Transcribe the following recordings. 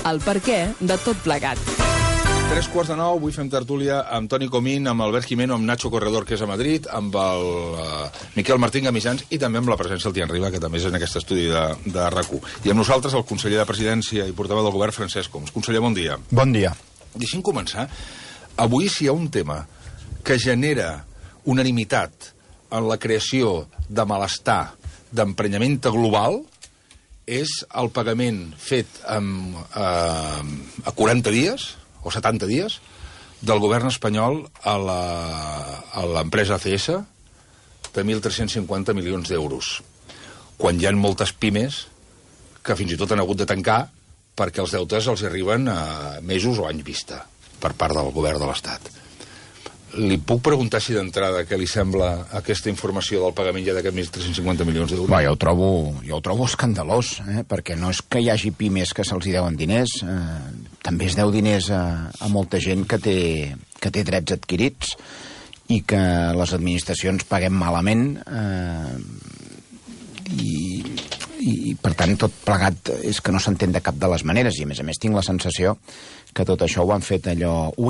El perquè de tot plegat. 8:45, avui fem tertúlia amb Toni Comín, amb Albert Jimeno, amb Nacho Corredor, que és a Madrid, amb el Miquel Martín Gamisans i també amb la presència del Tian Riba, que també és en aquest estudi de RAC1. I amb nosaltres el conseller de Presidència i portaveu del govern, Francesc Homs. Conseller, bon dia. Bon dia. Deixi'm començar. Avui, si hi ha un tema que genera unanimitat en la creació de malestar, d'emprenyament global, és el pagament fet a 40 dies, o 70 dies, del govern espanyol a l'empresa ACS de 1.350 milions d'euros, quan hi ha moltes pimes que fins i tot han hagut de tancar perquè els deutes els arriben a mesos o anys vista per part del govern de l'Estat. Li puc preguntar si d'entrada què li sembla aquesta informació del pagament ja d'aquests 1.350 milions d'euros? Jo ho trobo escandalós, perquè no és que hi hagi pimes que se'ls deuen diners, també es deu diners a molta gent que té drets adquirits i que les administracions paguem malament i per tant tot plegat és que no s'entén de cap de les maneres, i a més tinc la sensació que tot això ho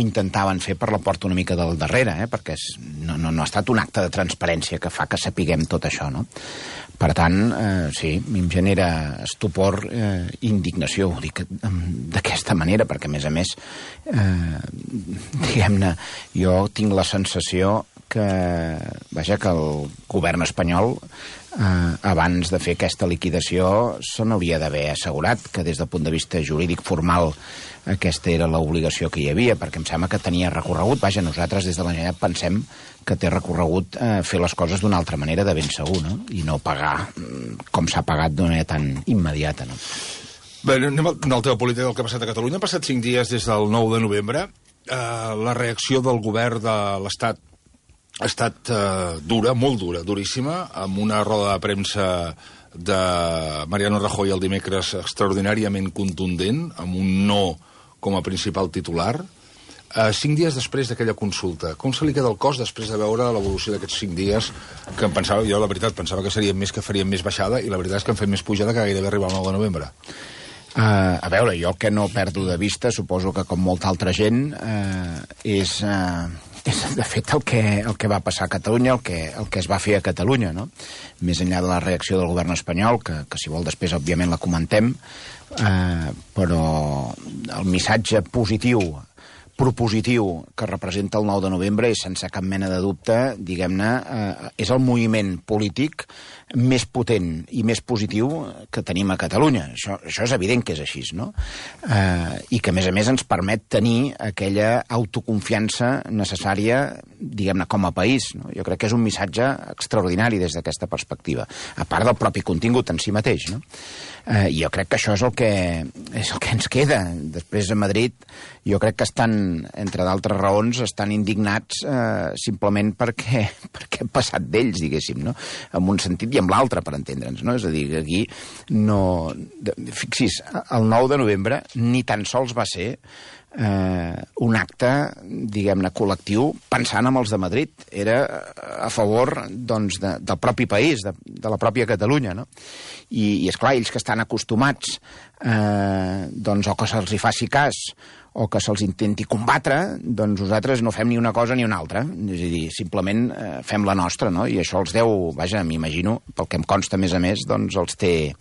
intentaven fer per la porta una mica del darrere, perquè no ha estat un acte de transparència que fa que sapiguem tot això, no? Per tant, sí, a mi em genera estupor i indignació, ho dic d'aquesta manera, perquè a més, diguem-ne, jo tinc la sensació que el govern espanyol abans de fer aquesta liquidació se n'hauria d'haver assegurat que des del punt de vista jurídic formal aquesta era l'obligació que hi havia, perquè em sembla que tenia recorregut. Nosaltres des de la Generalitat pensem que té recorregut fer les coses d'una altra manera, de ben segur, no? I no pagar com s'ha pagat d'una manera tan immediata, no? Bé, anem al tema polític del que ha passat a Catalunya. Han passat 5 dies des del 9 de novembre. La reacció del govern de l'Estat ha estat dura, molt dura, duríssima, amb una roda de premsa de Mariano Rajoy el dimecres extraordinàriament contundent, amb un no com a principal titular. 5 dies després d'aquella consulta, com se li queda el cos després de veure l'evolució d'aquests 5 dies, que jo, la veritat, pensava que serien més, que farien més baixada, i la veritat és que han fet més pujada que gairebé arribar al 9 de novembre. A veure, jo el que no perdo de vista, suposo que com molta altra gent, és de fet el que va passar a Catalunya, el que es va fer a Catalunya, no? Més enllà de la reacció del govern espanyol, que si vol després òbviament la comentem, però el missatge propositiu que representa el 9 de novembre és, sense cap mena de dubte, diguem-ne, és el moviment polític més potent i més positiu que tenim a Catalunya. Això és evident que és així, no? I que, a més, ens permet tenir aquella autoconfiança necessària, diguem-ne, com a país, no? Jo crec que és un missatge extraordinari des d'aquesta perspectiva, a part del propi contingut en si mateix, no? I jo crec que això és el que ens queda. Després, a Madrid, jo crec que entre d'altres raons, estan indignats simplement perquè hem passat d'ells, diguéssim, no? En un sentit i en l'altre, per entendre'ns, no? És a dir, que aquí no... Fixis, el 9 de novembre ni tan sols va ser un acte, diguem-ne, col·lectiu pensant en els de Madrid. Era a favor, doncs, del propi país, de la pròpia Catalunya, no? I esclar, ells que estan acostumats doncs, o que se'ls hi faci cas o que se'ls intenti combatre, doncs nosaltres no fem ni una cosa ni una altra. És a dir, simplement fem la nostra, no? I això els deu, m'imagino, pel que em consta, a més, doncs els té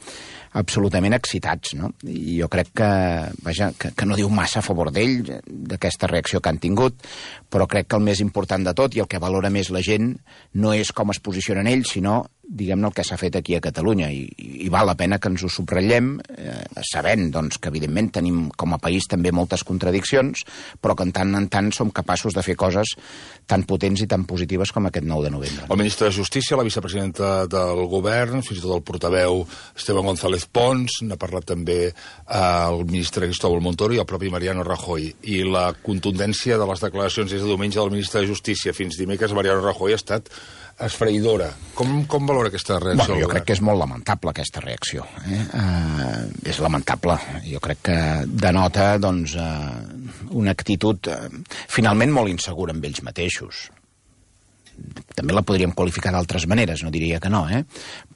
absolutament excitats, no? I jo crec que no diu massa a favor d'ell, d'aquesta reacció que han tingut, però crec que el més important de tot i el que valora més la gent no és com es posicionen ells, sinó, diguem-ne, el que s'ha fet aquí a Catalunya, i val la pena que ens ho subratllem, sabent, doncs, que evidentment tenim com a país també moltes contradiccions, però que en tant som capaços de fer coses tan potents i tan positives com aquest 9 de novembre. El ministre de Justícia, la vicepresidenta del govern, fins i tot el portaveu Esteban González Pons, n'ha parlat també el ministre Cristóbal Montoro i el propi Mariano Rajoy. I la contundència de les declaracions des de diumenge del ministre de Justícia fins dimecres Mariano Rajoy ha estat esfereïdora. Com valora aquesta reacció? Jo crec que és molt lamentable aquesta reacció. És lamentable. Jo crec que denota, doncs, una actitud finalment molt insegura amb ells mateixos. també la podríem qualificar d'altres maneres, no diria que no,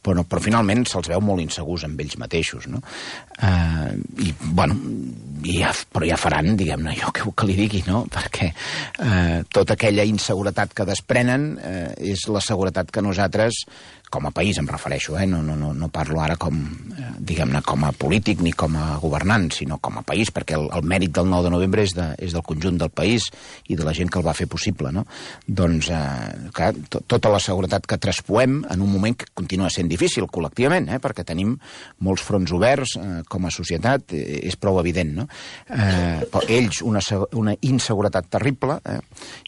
però finalment se'ls veu molt insegurs amb ells mateixos, no? I, bueno, però ja faran, diguem-ne, jo que li digui, no? Perquè tota aquella inseguretat que desprenen és la seguretat que nosaltres, com a país em refereixo, no parlo ara com, diguem-ne, com a polític ni com a governant, sinó com a país, perquè el mèrit del 9 de novembre és del conjunt del país i de la gent que el va fer possible, no? Doncs, clar, tota la seguretat que traspoem en un moment que continua sent difícil col·lectivament, perquè tenim molts fronts oberts com a societat, és prou evident, no? Però ells una inseguretat terrible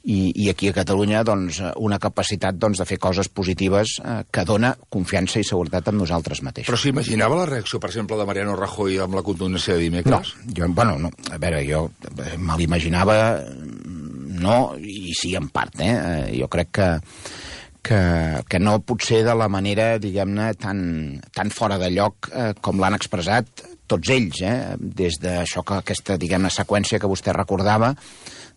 i aquí a Catalunya doncs, una capacitat doncs, de fer coses positives que dona confiança i seguretat en nosaltres mateixos. Però s'imaginava la reacció, per exemple, de Mariano Rajoy amb la contundència de dimecres? No. A veure, jo me l'imaginava, no, i sí, en part, Jo crec que no pot ser de la manera, diguem-ne, tan fora de lloc com l'han expressat tots ells, des d'això aquesta, diguem-ne, seqüència que vostè recordava,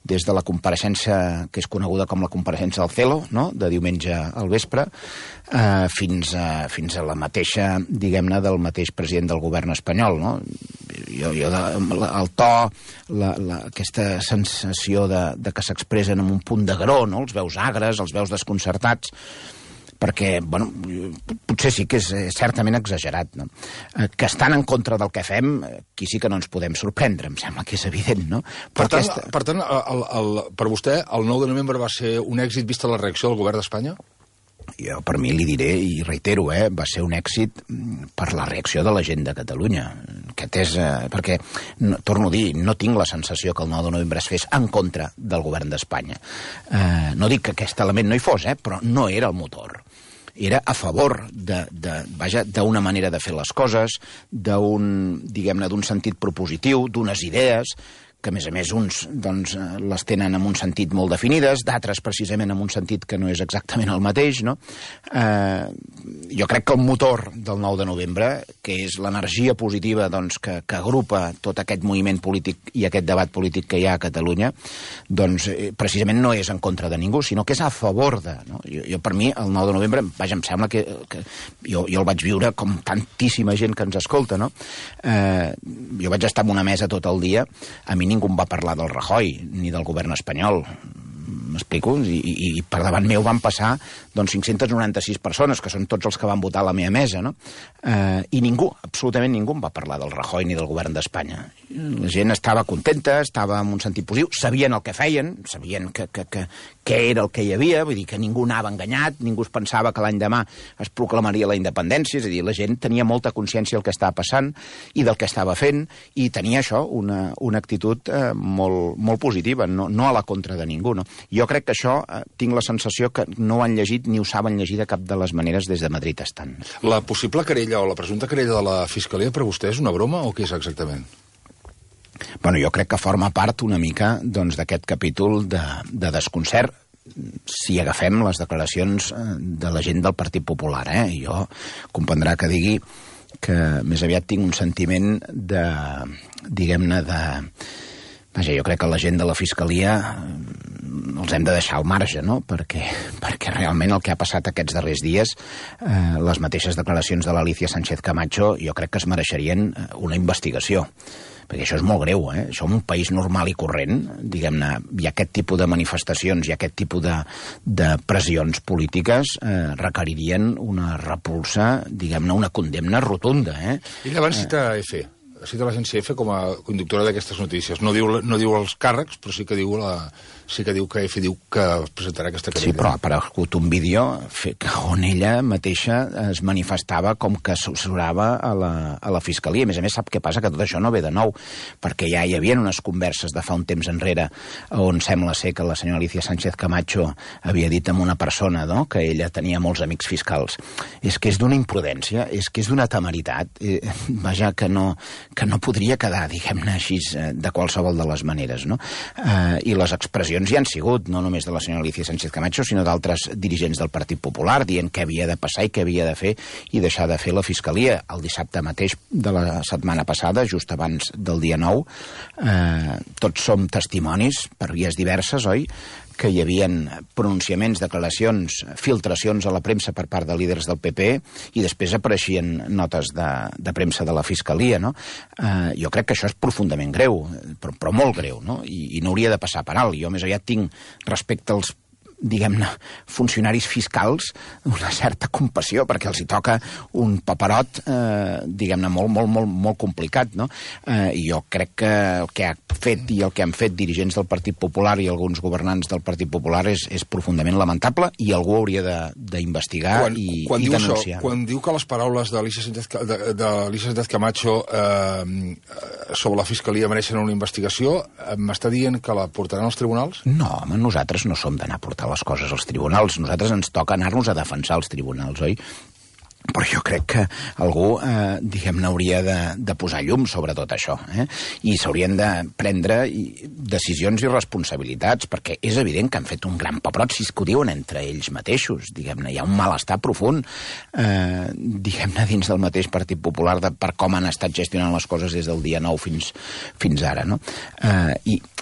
des de la compareixença que és coneguda com la compareixença del Celo, no?, de diumenge al vespre, fins a la mateixa, diguem-ne, del mateix president del govern espanyol, no? El to, aquesta sensació de que s'expressen amb un punt d'agror, no?, els veus agres, els veus desconcertats, perquè, bueno, potser sí que és certament exagerat, no? Que estan en contra del que fem, aquí sí que no ens podem sorprendre, em sembla que és evident, no? Per tant, per vostè, el 9 de novembre va ser un èxit vista la reacció del govern d'Espanya? Jo per mi li diré, i reitero, va ser un èxit per la reacció de la gent de Catalunya. Perquè, torno a dir, no tinc la sensació que el 9 de novembre es fes en contra del govern d'Espanya. No dic que aquest element no hi fos, però no era el motor. Era a favor d'una manera de fer les coses, diguem-ne, d'un sentit propositiu, d'unes idees, que a més uns doncs, les tenen en un sentit molt definides, d'altres precisament en un sentit que no és exactament el mateix, no? Jo crec que el motor del 9 de novembre, que és l'energia positiva doncs, que agrupa tot aquest moviment polític i aquest debat polític que hi ha a Catalunya, doncs precisament no és en contra de ningú, sinó que és a favor de... No? Jo per mi, el 9 de novembre, vaja, em sembla que jo el vaig viure com tantíssima gent que ens escolta, no? Jo vaig estar en una mesa tot el dia, a mi ningú em va parlar del Rajoy ni del govern espanyol, m'explico? I per davant meu van passar doncs, 596 persones, que són tots els que van votar a la meva mesa, no? I ningú, absolutament ningú em va parlar del Rajoy ni del govern d'Espanya. La gent estava contenta, estava en un sentit positiu, sabien el que feien, sabien què era el que hi havia, vull dir que ningú anava enganyat, ningú es pensava que l'any demà es proclamaria la independència, és a dir, la gent tenia molta consciència del que estava passant i del que estava fent, i tenia això, una actitud molt positiva, no a la contra de ningú, no? Jo crec que això, tinc la sensació que no ho han llegit ni ho saben llegir de cap de les maneres des de Madrid estant. La possible querella o la presumpta querella de la Fiscalia per vostè és una broma o què és exactament? Bueno, jo crec que forma part una mica doncs, d'aquest capítol de desconcert, si agafem les declaracions de la gent del Partit Popular. Jo comprendrà que digui que més aviat tinc un sentiment de, diguem-ne, vaja, jo crec que la gent de la Fiscalia els hem de deixar al marge, no? Perquè realment el que ha passat aquests darrers dies, les mateixes declaracions de l'Alicia Sánchez Camacho, jo crec que es mereixerien una investigació. Perquè això és molt greu, Això en un país normal i corrent, diguem-ne, hi ha aquest tipus de manifestacions i aquest tipus de pressions polítiques requeririen una repulsa, diguem-ne, una condemna rotunda, Ell abans cita EFE. Cita l'agència EFE com a conductora d'aquestes notícies. No diu els càrrecs, però sí que diu que EFE diu que presentarà aquesta querella. Sí, però ha aparegut un vídeo on ella mateixa es manifestava com que assessorava a la Fiscalia. A més, sap què passa? Que tot això no ve de nou, perquè ja hi havia unes converses de fa un temps enrere on sembla ser que la senyora Alicia Sánchez Camacho havia dit a una persona, no?, que ella tenia molts amics fiscals. És que és d'una imprudència, és que és d'una temeritat, vaja, que no podria quedar, diguem-ne així, de qualsevol de les maneres, no? I les expressions hi han sigut, no només de la senyora Alicia Sánchez Camacho, sinó d'altres dirigents del Partit Popular, dient què havia de passar i què havia de fer i deixar de fer la Fiscalia. El dissabte mateix de la setmana passada, just abans del dia 9, tots som testimonis, per vies diverses, oi?, que hi havia pronunciaments, declaracions, filtracions a la premsa per part de líders del PP i després apareixien notes de premsa de la Fiscalia, no? Jo crec que això és profundament greu, però molt greu, no? I no hauria de passar per alt. Jo més aviat tinc respecte als diguem-ne, funcionaris fiscals una certa compassió, perquè els hi toca un paperot, diguem-ne, molt complicat, no? I jo crec que el que ha fet i el que han fet dirigents del Partit Popular i alguns governants del Partit Popular és profundament lamentable i algú hauria d'investigar i denunciar. Quan diu que les paraules d'Alicia Sánchez Camacho sobre la Fiscalia mereixen una investigació, m'està dient que la portaran als tribunals? No, home, nosaltres no som d'anar a portar les coses als tribunals. Nosaltres ens toca anar-nos a defensar als tribunals, oi? Però jo crec que algú, diguem-ne, hauria de posar llum sobre tot això, i s'haurien de prendre decisions i responsabilitats, perquè és evident que han fet un gran paperot, si es que ho diuen entre ells mateixos, diguem-ne, hi ha un malestar profund, diguem-ne, dins del mateix Partit Popular per com han estat gestionant les coses des del dia 9 fins ara, no?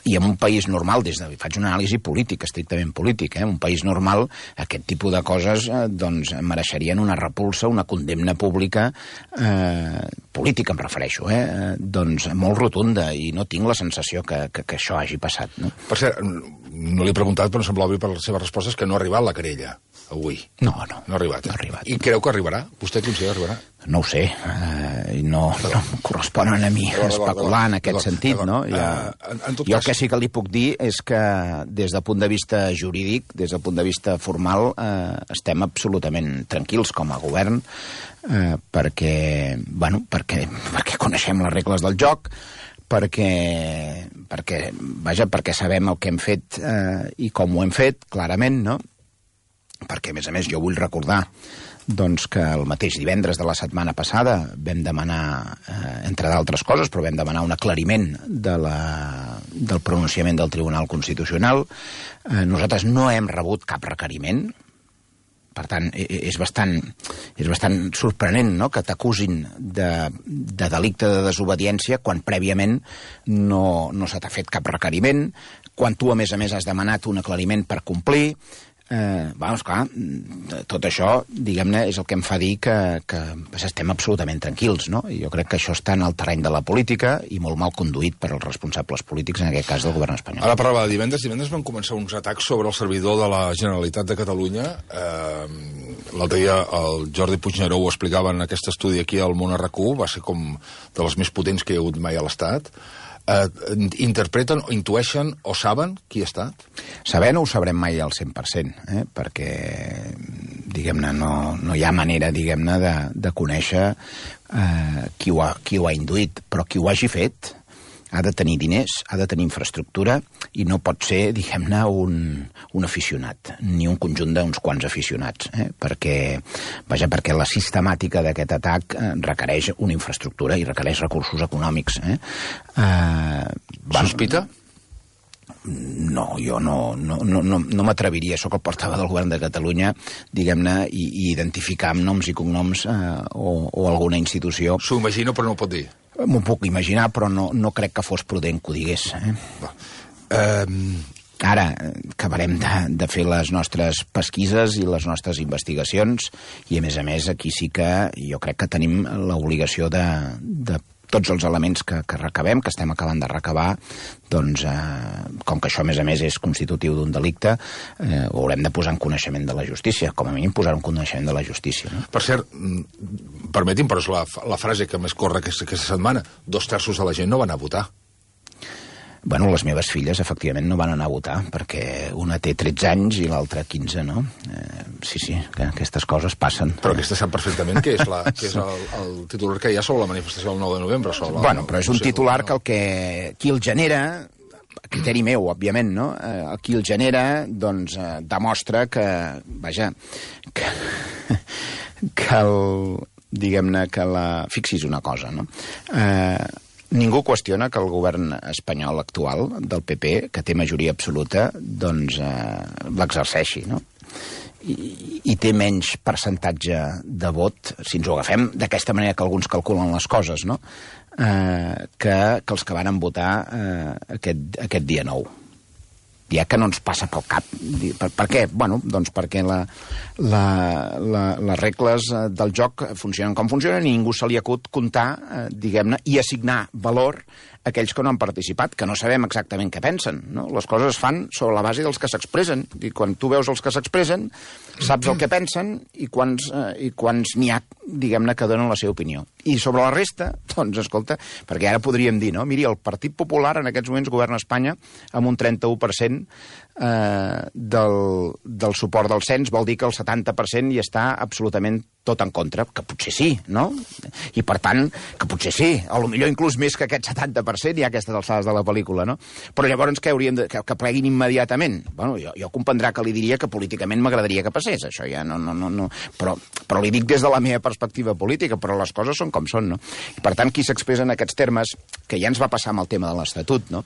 I en un país normal, faig una anàlisi política, estrictament política, un país normal, aquest tipus de coses doncs mereixerien una repulsa, una condemna pública, política em refereixo, doncs molt rotunda, i no tinc la sensació que això hagi passat. No? Per cert, no l'he preguntat, però em sembla obvi per les seves respostes que no ha arribat la querella avui. No ha arribat. No ha arribat. I creu que arribarà? Vostè considera que arribarà? No ho sé, no em correspon a mi especular en aquest sentit, no? Jo el que sí que li puc dir és que des del punt de vista jurídic, des del punt de vista formal, estem absolutament tranquils com a govern, perquè coneixem les regles del joc, perquè sabem el que hem fet i com ho hem fet, clarament, no? Perquè, a més, jo vull recordar doncs que el mateix divendres de la setmana passada vam demanar, entre d'altres coses, però vam demanar un aclariment del pronunciament del Tribunal Constitucional. Nosaltres no hem rebut cap requeriment. Per tant, és bastant sorprenent, no?, que t'acusin de delicte de desobediència quan prèviament no se t'ha fet cap requeriment, quan tu, a més, has demanat un aclariment per complir. Esclar, tot això, diguem-ne, és el que em fa dir que estem absolutament tranquils, no? I jo crec que això està en el terreny de la política i molt mal conduït per als responsables polítics, en aquest cas del govern espanyol. Ara parlava de divendres. Divendres van començar uns atacs sobre el servidor de la Generalitat de Catalunya. L'altre dia el Jordi Puigneró ho explicava en aquest estudi aquí al Món RQ, va ser com de les més potents que hi ha hagut mai a l'Estat. Interpreten o intueixen o saben qui ha estat? Saber no ho sabrem mai al 100%, perquè, diguem-ne, no hi ha manera, diguem-ne, de conèixer qui ho ha induït, però qui ho hagi fet ha de tenir diners, ha de tenir infraestructura i no pot ser, diguem-ne, un aficionat, ni un conjunt d'uns quants aficionats, perquè la sistemàtica d'aquest atac requereix una infraestructura i requereix recursos econòmics. Sospita? No, jo no m'atreviria, sóc el portaveu del govern de Catalunya, diguem-ne, i identificar amb noms i cognoms o alguna institució. S'ho imagino, però no ho pot dir. M'ho puc imaginar, però no crec que fos prudent que ho digués. Ara acabarem de fer les nostres pesquises i les nostres investigacions i, a més, aquí sí que jo crec que tenim l'obligació de tots els elements que recabem, que estem acabant de recabar, doncs, com que això, a més, és constitutiu d'un delicte, ho haurem de posar en coneixement de la justícia, com a mínim posar en coneixement de la justícia. No? Per cert, permeti'm, però és la frase que més corre aquesta setmana, 2/3 de la gent no van a votar. Bueno, les meves filles, efectivament, no van anar a votar, perquè una té 13 anys i l'altra 15, no? Sí, que aquestes coses passen. Però aquesta sap perfectament que és el titular que hi ha sobre la manifestació del 9 de novembre. Bueno, però és un titular que qui el genera, a criteri meu, òbviament, no? Qui el genera, doncs, demostra que, vaja, diguem-ne, fixi's una cosa, no? Ningú qüestiona que el govern espanyol actual, del PP, que té majoria absoluta, doncs l'exerceixi, no? I té menys percentatge de vot, si ens ho agafem d'aquesta manera que alguns calculen les coses, no? Que els que van votar aquest dia 9. ja que no ens passa pel cap. Per què? Bueno, doncs perquè les regles del joc funcionen com funcionen i ningú se li acut comptar, diguem-ne, i assignar valor a aquells que no han participat, que no sabem exactament què pensen, no? Les coses es fan sobre la base dels que s'expressen, i quan tu veus els que s'expressen, saps el que pensen i quants n'hi ha, diguem-ne, que donen la seva opinió. I sobre la resta, doncs, escolta, perquè ara podríem dir, no? Miri, el Partit Popular en aquests moments governa Espanya amb un 31% del suport del cens, vol dir que el 70% hi està absolutament tot en contra, que potser sí, no? I per tant, que potser sí, a lo millor inclús més que aquest 70% hi ha aquestes alçades de la pel·lícula, no? Però llavors què hauríem que pleguin immediatament? Bueno, jo comprendrà que li diria que políticament m'agradaria que passés, això ja no. Però li dic des de la meva perspectiva política, però les coses són com són, no? I per tant, qui s'expressa en aquests termes, que ja ens va passar amb el tema de l'Estatut, no?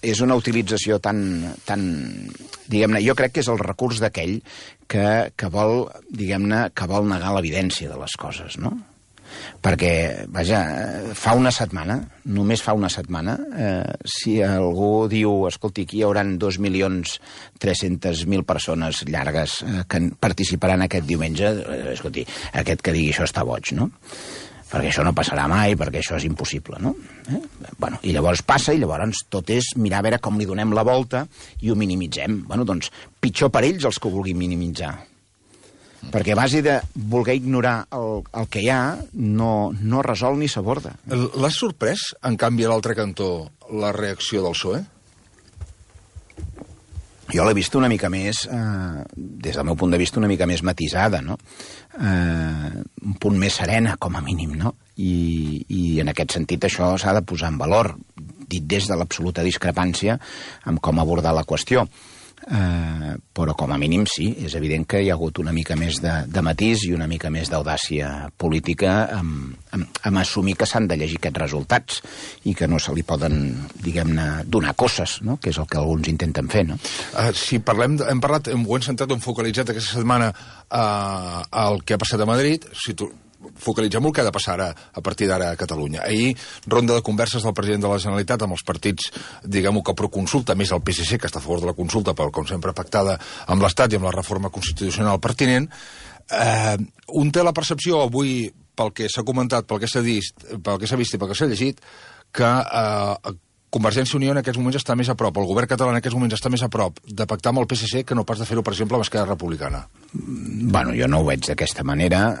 És una utilització tan diguem-ne, jo crec que és el recurs d'aquell que vol, diguem-ne, que vol negar l'evidència de les coses, no? Perquè, vaja, fa una setmana, només fa una setmana, si algú diu, escolti, aquí hi haurà 2.300.000 persones llargues que participaran aquest diumenge, escolti, aquest que digui això està boig, no? Perquè això no passarà mai, perquè això és impossible, no? Bueno, i llavors passa, i llavors tot és mirar a veure com li donem la volta i ho minimitzem. Bueno, doncs, pitjor per ells els que ho vulguin minimitzar. Perquè a base de voler ignorar el que hi ha, no resol ni s'aborda. L'has sorprès, en canvi, a l'altre cantó, la reacció del PSOE? Jo l'he vist una mica més, des del meu punt de vista, una mica més matisada, no? Un punt més serena, com a mínim, no? I en aquest sentit això s'ha de posar en valor, dit des de l'absoluta discrepància amb com abordar la qüestió. Però com a mínim sí, és evident que hi ha hagut una mica més de matís i una mica més d'audàcia política amb assumir que s'han de llegir aquests resultats i que no se li poden, diguem-ne, donar coses, no? Que és el que alguns intenten fer, no? Si parlem, ho hem centrat, hem focalitzat aquesta setmana el que ha passat a Madrid, si tu focalitzem el que ha de passar ara, a partir d'ara a Catalunya. Ahir, ronda de converses del president de la Generalitat amb els partits, diguem-ho, que proconsulta, més el PSC, que està a favor de la consulta, però com sempre pactada amb l'Estat i amb la reforma constitucional pertinent. Un té la percepció avui, pel que s'ha comentat, pel que s'ha vist i pel que s'ha llegit, que Convergència i Unió en aquests moments està més a prop, el govern català en aquests moments està més a prop de pactar amb el PSC que no pas de fer-ho, per exemple, amb Esquerra Republicana. Bueno, jo no ho veig d'aquesta manera.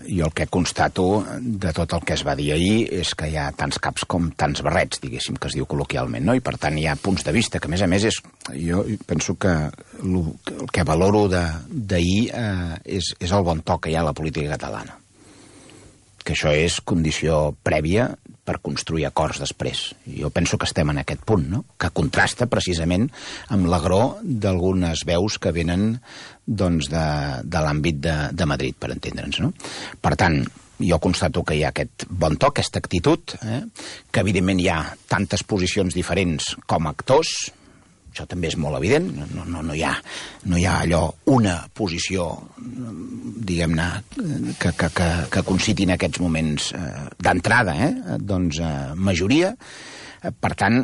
Jo el que constato de tot el que es va dir ahir és que hi ha tants caps com tants barrets, diguéssim, que es diu col·loquialment, no? I per tant hi ha punts de vista que, a més, jo penso que el que valoro d'ahir és el bon to que hi ha a la política catalana. Que això és condició prèvia per construir acords després. Jo penso que estem en aquest punt, no? Que contrasta precisament amb l'agror d'algunes veus que venen doncs, de l'àmbit de Madrid, per entendre'ns, no? Per tant, jo constato que hi ha aquest bon to, aquesta actitud, que evidentment hi ha tantes posicions diferents com actors. Això també és molt evident, no hi ha allò una posició, diguem-ne, que conciti en aquests moments d'entrada, doncs majoria. Per tant,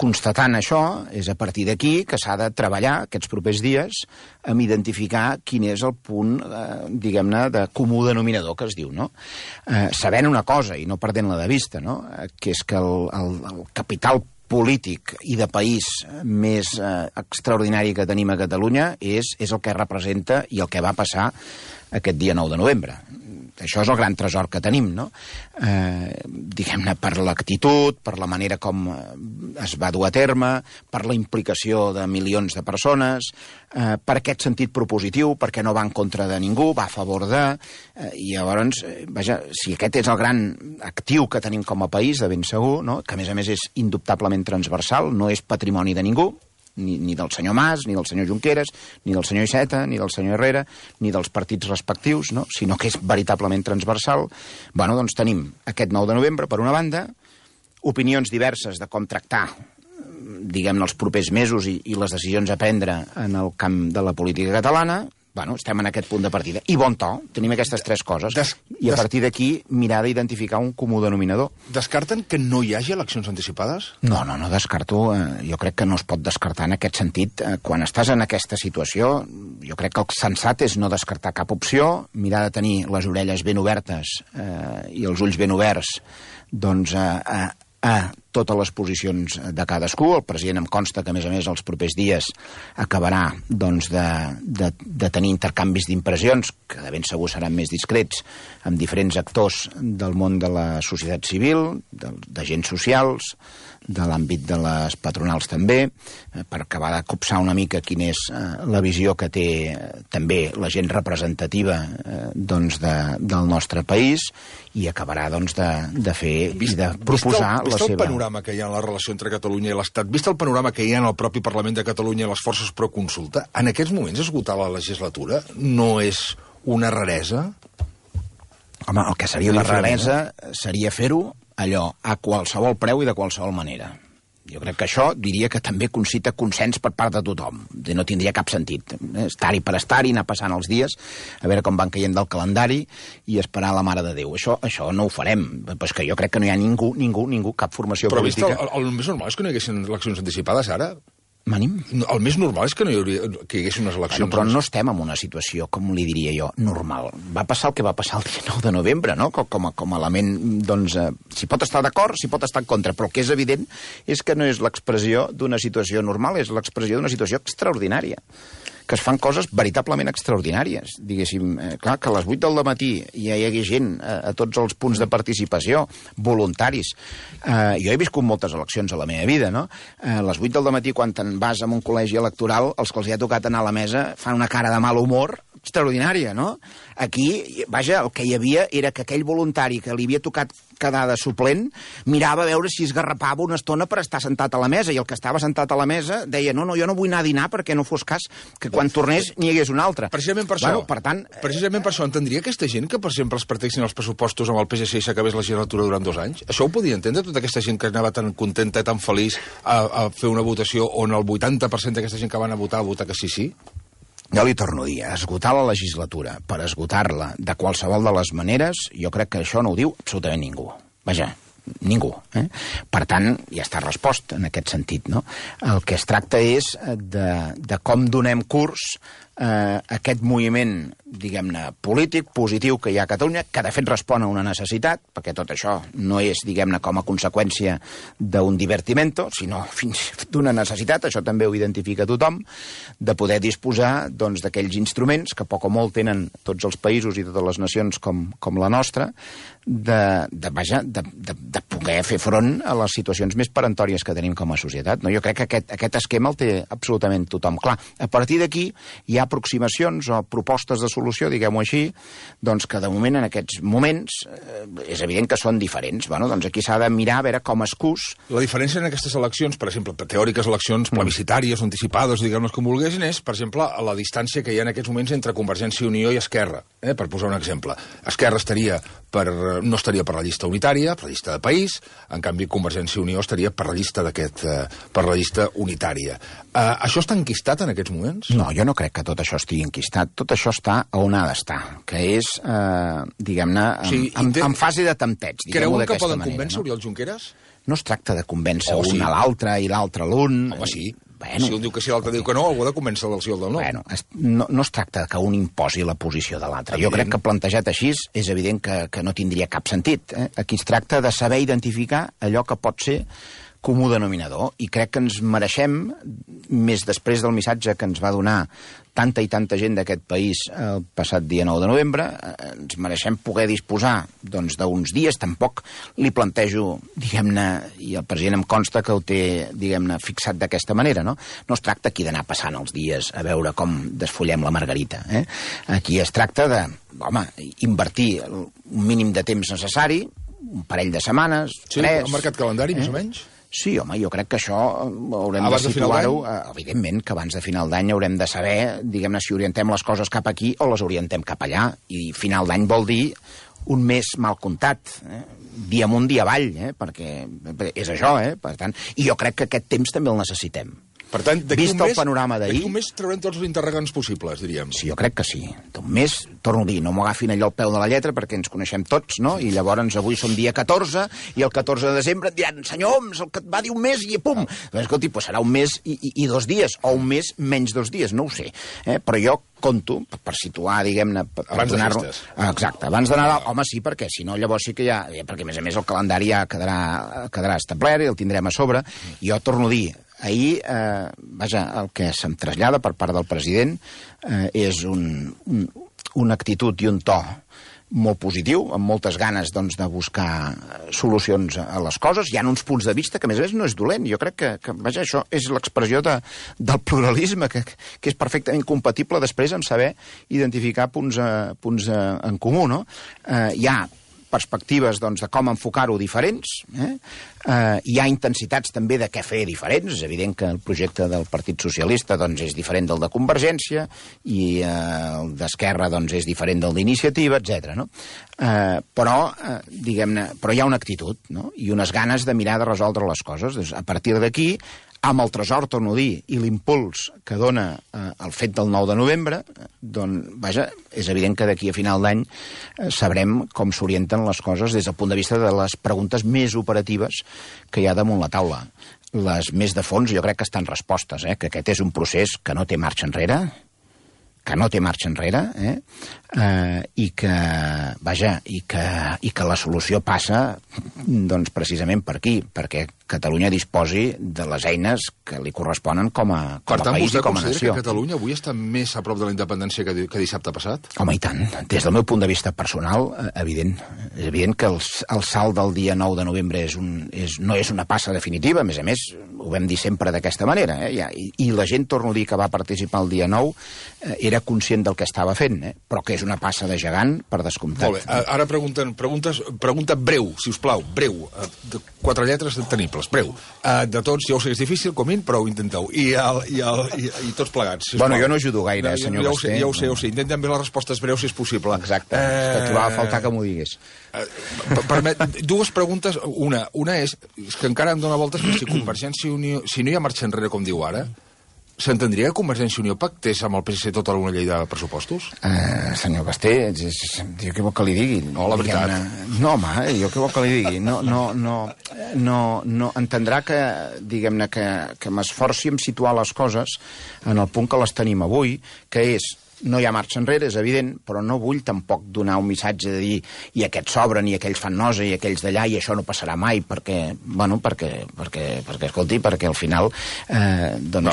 constatant això, és a partir d'aquí que s'ha de treballar aquests propers dies amb identificar quin és el punt, diguem-ne, de comú denominador que es diu, no? Sabent una cosa i no perdent-la de vista, no? Que és que el capital polític i de país més extraordinari que tenim a Catalunya és el que representa i el que va passar aquest dia 9 de novembre. Això és el gran tresor que tenim, no? Diguem-ne, per l'actitud, per la manera com es va dur a terme, per la implicació de milions de persones, per aquest sentit propositiu, perquè no va en contra de ningú, va a favor de... I llavors, vaja, si aquest és el gran actiu que tenim com a país, de ben segur, no? Que a més és indubtablement transversal, no és patrimoni de ningú, ni del senyor Mas, ni del senyor Junqueras, ni del senyor Iceta, ni del senyor Herrera, ni dels partits respectius, no? Sinó que és veritablement transversal. Bueno, doncs tenim aquest 9 de novembre, per una banda, opinions diverses de com tractar, diguem-ne, els propers mesos i les decisions a prendre en el camp de la política catalana, Bueno, estem en aquest punt de partida. I bon to, tenim aquestes tres coses. I a partir d'aquí mirar d'identificar un comú denominador. Descarten que no hi hagi eleccions anticipades? No descarto. Jo crec que no es pot descartar en aquest sentit. Quan estàs en aquesta situació, jo crec que el sensat és no descartar cap opció, mirar de tenir les orelles ben obertes i els ulls ben oberts doncs, a totes les posicions de cadascú. El president em consta que, a més, els propers dies acabarà doncs, de tenir intercanvis d'impressions, que de ben segur seran més discrets, amb diferents actors del món de la societat civil, d'agents socials, de l'àmbit de les patronals també, per acabar de copsar una mica quina és la visió que té també la gent representativa doncs, del nostre país, i acabarà doncs, de fer i de proposar la seva... Vist el panorama que hi ha en la relació entre Catalunya i l'Estat, vist el panorama que hi ha en el propi Parlament de Catalunya i les forces pro-consulta, en aquests moments esgotar la legislatura no és una raresa? Home, el que seria una raresa seria fer-ho allò a qualsevol preu i de qualsevol manera. Jo crec que això diria que també concita consens per part de tothom. No tindria cap sentit. Estar-hi per estar-hi, anar passant els dies, a veure com van caient del calendari i esperar la Mare de Déu. Això no ho farem. Però és que jo crec que no hi ha ningú, cap formació política... Però el més normal és que no hi haguessin eleccions anticipades ara? Manim? El més normal és que no hi haguessin unes eleccions. Però no estem en una situació, com li diria jo, normal. Va passar el que va passar el dia 9 de novembre, no? Com a element, doncs, s'hi pot estar d'acord, s'hi pot estar en contra, però el que és evident és que no és l'expressió d'una situació normal, és l'expressió d'una situació extraordinària, que es fan coses veritablement extraordinàries. Diguéssim, clar, que a les 8 del matí ja hi hagi gent a tots els punts de participació, voluntaris. Jo he viscut moltes eleccions a la meva vida, no? A les 8 del matí, quan te'n vas a un col·legi electoral, els que els hi ha tocat anar a la mesa fan una cara de mal humor extraordinària, no? Aquí, vaja, el que hi havia era que aquell voluntari que li havia tocat quedar de suplent mirava a veure si es garrapava una estona per estar sentat a la mesa, i el que estava sentat a la mesa deia, no, jo no vull anar a dinar perquè no fos cas que quan tornés n'hi hagués un altre. Precisament per això. Precisament per això entendria aquesta gent que, per exemple, es parteixin els pressupostos amb el PSC i s'acabés la legislatura durant 2 anys? Això ho podia entendre, tota aquesta gent que anava tan contenta i tan feliç a fer una votació on el 80% d'aquesta gent que van a votar que sí? Jo li torno a dir, esgotar la legislatura per esgotar-la de qualsevol de les maneres, jo crec que això no ho diu absolutament ningú. Vaja, ningú. Per tant, ja està respost en aquest sentit, no? El que es tracta és de com donem curs a aquest moviment, diguem-ne, polític, positiu que hi ha a Catalunya, que de fet respon a una necessitat, perquè tot això no és, diguem-ne, com a conseqüència d'un divertimento, sinó fins d'una necessitat, això també ho identifica tothom, de poder disposar doncs d'aquells instruments que poc o molt tenen tots els països i totes les nacions com la nostra, de poder fer front a les situacions més peremptòries que tenim com a societat. Jo crec que aquest esquema el té absolutament tothom clar. A partir d'aquí hi ha aproximacions o propostes de solució, diguem-ho així, doncs que de moment, en aquests moments, és evident que són diferents. Bueno, doncs aquí s'ha de mirar a veure com es cus. La diferència en aquestes eleccions, per exemple, teòriques eleccions plebiscitàries, anticipades, diguem-ne com vulguessin, és, per exemple, la distància que hi ha en aquests moments entre Convergència i Unió i Esquerra, per posar un exemple. Esquerra no estaria per la llista unitària, per la llista de país, en canvi Convergència i Unió estaria per la llista per la llista unitària. Això està enquistat en aquests moments? No, jo no crec que tot això estigui enquistat. Tot això està on ha d'estar, que és, diguem-ne, en fase de tempteig. Creuen que poden convèncer Oriol Junqueras? No es tracta de convèncer un a l'altre i l'altre a l'un. Home, sí. Si un diu que sí, l'altre diu que no, algú ha de convèncer del sí o del no. No es tracta que un imposi la posició de l'altre. Jo crec que plantejat així és evident que no tindria cap sentit. Aquí es tracta de saber identificar allò que pot ser comú denominador, i crec que ens mereixem, més després del missatge que ens va donar tanta i tanta gent d'aquest país el passat dia 9 de novembre, ens mereixem poder disposar doncs, d'uns dies. Tampoc li plantejo, diguem-ne, i el president em consta que ho té, diguem-ne, fixat d'aquesta manera, no? No es tracta aquí d'anar passant els dies a veure com desfollem la margarita. Aquí es tracta de, invertir un mínim de temps necessari, un parell de setmanes, 3... Sí, han marcat calendari, més o menys? Sí, home, jo crec que això haurem de situar-ho. Evidentment que abans de final d'any haurem de saber, diguem-ne, si orientem les coses cap aquí o les orientem cap allà. I final d'any vol dir un mes mal comptat, dia amunt, dia avall, perquè és això, per tant. I jo crec que aquest temps també el necessitem. Per tant, vist el panorama d'ahir... D'aquí un mes traurem tots els interrogants possibles, diríem. Sí, jo crec que sí. Un mes, torno a dir, no m'ho agafin allò al peu de la lletra perquè ens coneixem tots, no? I llavors avui som dia 14 i el 14 de desembre et diran, senyor Homs, el que et va dir un mes i pum! Escolti, doncs serà un mes i 2 dies, o un mes menys 2 dies, no ho sé. Però jo conto, per situar, diguem-ne... Abans de festes. Exacte, abans de Nadal. Home, sí, perquè si no, llavors sí que ja... Perquè, a més a més, el calendari ja quedarà establert i el tindrem a sobre. Jo torno a dir, ahir, vaja, el que se'm trasllada per part del president és una actitud i un to molt positiu, amb moltes ganes doncs, de buscar solucions a les coses. Hi ha uns punts de vista que, a més a més, no és dolent. Jo crec que vaja, això és l'expressió del pluralisme, que és perfectament compatible després amb saber identificar punts en comú, no? Hi ha perspectives doncs, de com enfocar-ho diferents, hi ha intensitats també de què fer diferents. És evident que el projecte del Partit Socialista doncs, és diferent del de Convergència i el d'Esquerra doncs, és diferent del d'Iniciativa, etc. No? Però hi ha una actitud, no? I unes ganes de mirar de resoldre les coses. Doncs, a partir d'aquí, amb el tresor, torno a dir, i l'impuls que dona el fet del 9 de novembre, doncs, vaja, és evident que d'aquí a final d'any sabrem com s'orienten les coses des del punt de vista de les preguntes més operatives que hi ha damunt la taula. Les més de fons jo crec que estan respostes, que aquest és un procés que no té marxa enrere, i que, vaja, i que la solució passa doncs, precisament per aquí, perquè Catalunya disposi de les eines que li corresponen com a país i com a nació. Per tant, vostè considera que Catalunya avui està més a prop de la independència que dissabte passat? Home, i tant. Des del meu punt de vista personal, evident. És evident que el salt del dia 9 de novembre no és una passa definitiva, a més, ho vam dir sempre d'aquesta manera, i la gent, torno a dir, que va participar el dia 9 era conscient del que estava fent, però que és una passa de gegant, per descomptat. Molt bé, ara pregunta breu, si us plau, breu, de 4 lletres tenibles, breu. De tots, ja ho sé, és difícil, Comín, però ho intenteu. I tots plegats, sisplau. Bueno, jo no ajudo gaire, senyor Basté. Ja ho sé. Intentem bé les respostes breus, si és possible. Exacte, és que trobava a faltar que m'ho digués. Dues preguntes. Una és que encara em dóna voltes que si Convergència i Unió, si no hi ha marxa enrere, com diu ara, s'entendria que Convergència i Unió pactés amb el PSC tota una llei de pressupostos? Senyor Basté, jo què vol que li digui? No, la veritat. No, home, jo què vol que li digui? No entendrà que, diguem-ne, que m'esforci en situar les coses en el punt que les tenim avui, que és no hi ha marxa enrere, és evident, però no vull tampoc donar un missatge de dir i aquests s'obren, i aquells fan nosa, i aquells d'allà, i això no passarà mai, perquè escolti, perquè al final,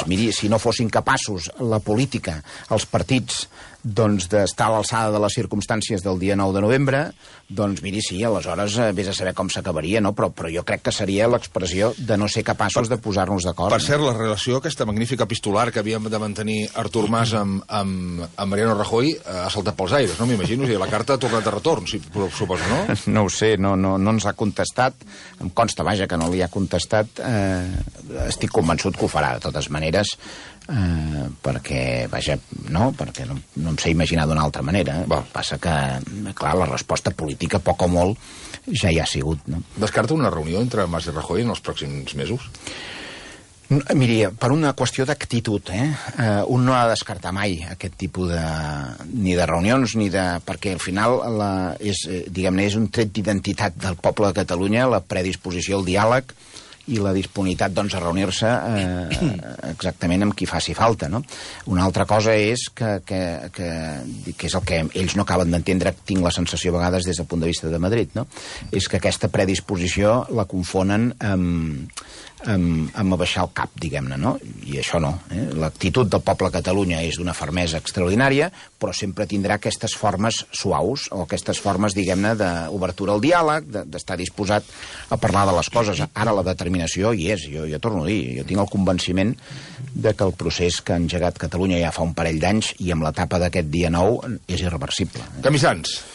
miri, si no fossin capaços la política, els partits, doncs d'estar a l'alçada de les circumstàncies del dia 9 de novembre, doncs miri, sí, aleshores vés a saber com s'acabaria, no? Però jo crec que seria l'expressió de no ser capaços de posar-nos d'acord. Per cert, la relació, aquesta magnífica epistolar que havíem de mantenir Artur Mas amb Mariano Rajoy ha saltat pels aires, no m'imagino? La carta ha tornat a retorn, suposo, no? No ho sé, no ens ha contestat. Em consta, vaja, que no li ha contestat. Estic convençut que ho farà, de totes maneres, perquè, vaja, perquè no em sé imaginar d'una altra manera. Passa que, clar, la resposta política, poc o molt, ja hi ha sigut, no? Descarta una reunió entre Mas i Rajoy en els pròxims mesos? Miri, per una qüestió d'actitud, un no ha de descartar mai aquest tipus ni de reunions, perquè al final és un tret d'identitat del poble de Catalunya, la predisposició al diàleg i la disponibilitat doncs, a reunir-se exactament amb qui faci falta, no? Una altra cosa és que és el que ells no acaben d'entendre, tinc la sensació a vegades des del punt de vista de Madrid, no? És que aquesta predisposició la confonen amb abaixar el cap, diguem-ne, no? I això no. L'actitud del poble de Catalunya és d'una fermesa extraordinària, però sempre tindrà aquestes formes suaus, o aquestes formes, diguem-ne, d'obertura al diàleg, d'estar disposat a parlar de les coses. Ara la determinació hi és, jo torno a dir, jo tinc el convenciment de que el procés que ha engegat Catalunya ja fa un parell d'anys i amb l'etapa d'aquest dia 9 és irreversible. Camissans.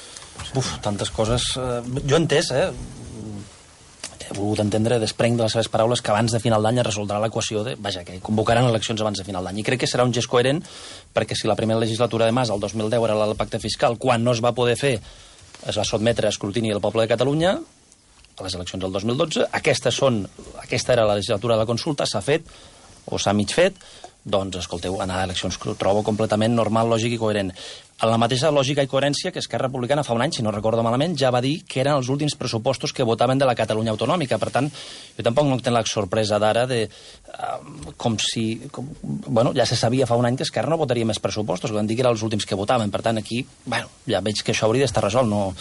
Tantes coses. Jo he entès, he volgut entendre, desprenc de les seves paraules, que abans de final d'any es resoldrà l'equació que convocaran eleccions abans de final d'any. I crec que serà un gest coherent, perquè si la primera legislatura de Mas, el 2010, era la del pacte fiscal, quan no es va poder fer, es va sotmetre a escrutini del poble de Catalunya, a les eleccions del 2012, aquesta era la legislatura de la consulta, s'ha fet, o s'ha mig fet, doncs, escolteu, anar a eleccions ho trobo completament normal, lògic i coherent. En la mateixa lògica i coherència que Esquerra Republicana fa un any, si no recordo malament, ja va dir que eren els últims pressupostos que votaven de la Catalunya autonòmica. Per tant, jo tampoc no tinc la sorpresa d'ara de com si... Bueno, ja se sabia fa un any que Esquerra no votaria més pressupostos, que van dir que eren els últims que votaven. Per tant, aquí, bueno, ja veig que això hauria d'estar resolt. No...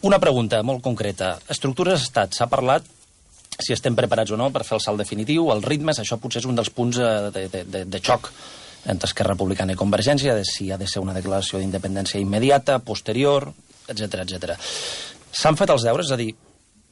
Una pregunta molt concreta. Estructures d'estat, s'ha parlat si estem preparats o no per fer el salt definitiu, els ritmes, això potser és un dels punts de xoc entre Esquerra Republicana i Convergència, de si ha de ser una declaració d'independència immediata, posterior, etc etc. S'han fet els deures, és a dir,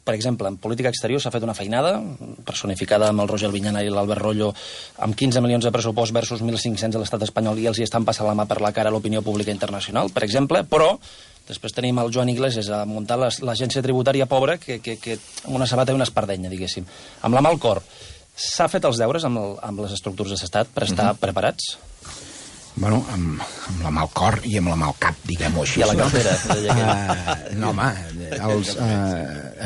per exemple, en política exterior s'ha fet una feinada, personificada amb el Roger Albinyana i l'Albert Royo, amb 15 milions de pressupost versus 1.500 a l'estat espanyol, i els hi estan passant la mà per la cara a l'opinió pública internacional, per exemple, però després tenim el Joan Iglesias a muntar l'agència tributària pobra que amb una sabata i una espardenya, diguéssim. Amb la mà al cor, s'ha fet els deures amb les estructures d'estat per estar preparats? Bueno, amb la mà al cor i amb la mà al cap, diguem-ho així. I a la cartera. No, home,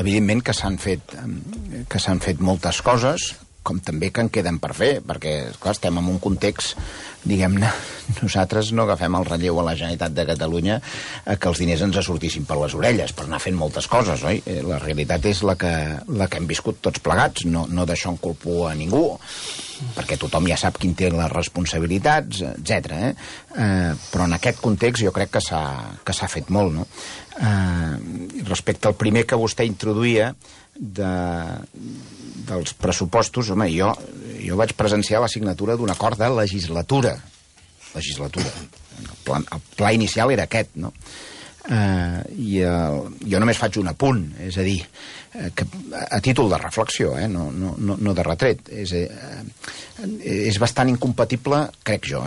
evidentment que s'han fet moltes coses, com també que en queden per fer, perquè, clar, estem en un context, diguem-ne, nosaltres no agafem el relleu a la Generalitat de Catalunya que els diners ens sortissin per les orelles per anar fent moltes coses, oi? La realitat és la que hem viscut tots plegats, no d'això en culpo a ningú, perquè tothom ja sap qui té les responsabilitats, etc. Però en aquest context jo crec que s'ha fet molt, no? Respecte al primer que vostè introduïa dels pressupostos, home, jo vaig presenciar la signatura d'un acord de legislatura. El pla inicial era aquest, no? Jo només faig un apunt, és a dir, que a títol de reflexió, no de retret. És bastant incompatible, crec jo,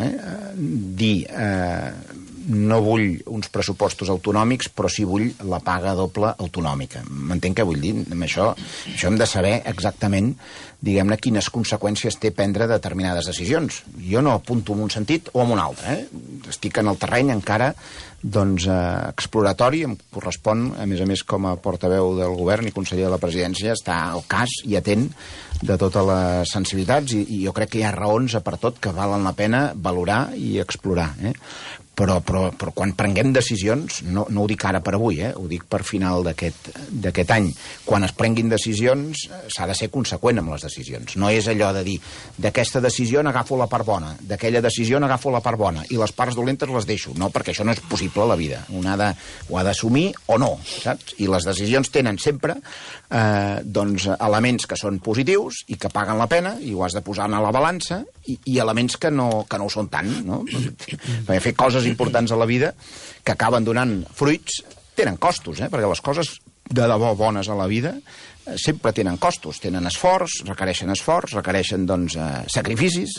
dir no vull uns pressupostos autonòmics, però sí vull la paga doble autonòmica. M'entenc què vull dir? Amb això hem de saber exactament, diguem-ne, quines conseqüències té prendre determinades decisions. Jo no apunto en un sentit o en un altre. Estic en el terreny encara exploratori, em correspon, a més, com a portaveu del govern i conseller de la presidència, estar al cas i atent de totes les sensibilitats, i jo crec que hi ha raons per tot que valen la pena valorar i explorar. Però quan prenguem decisions, no ho dic ara per avui, ho dic per final d'aquest any, quan es prenguin decisions s'ha de ser conseqüent amb les decisions. No és allò de dir, d'aquesta decisió n'agafo la part bona, d'aquella decisió n'agafo la part bona, i les parts dolentes les deixo. No, perquè això no és possible a la vida. Un ho ha d'assumir o no, saps? I les decisions tenen sempre elements que són positius i que paguen la pena, i ho has de posar a la balança, i elements que no ho són tant, no? Perquè fer coses importants a la vida que acaben donant fruits tenen costos, perquè les coses de debò bones a la vida sempre tenen costos, tenen esforç, requereixen sacrificis,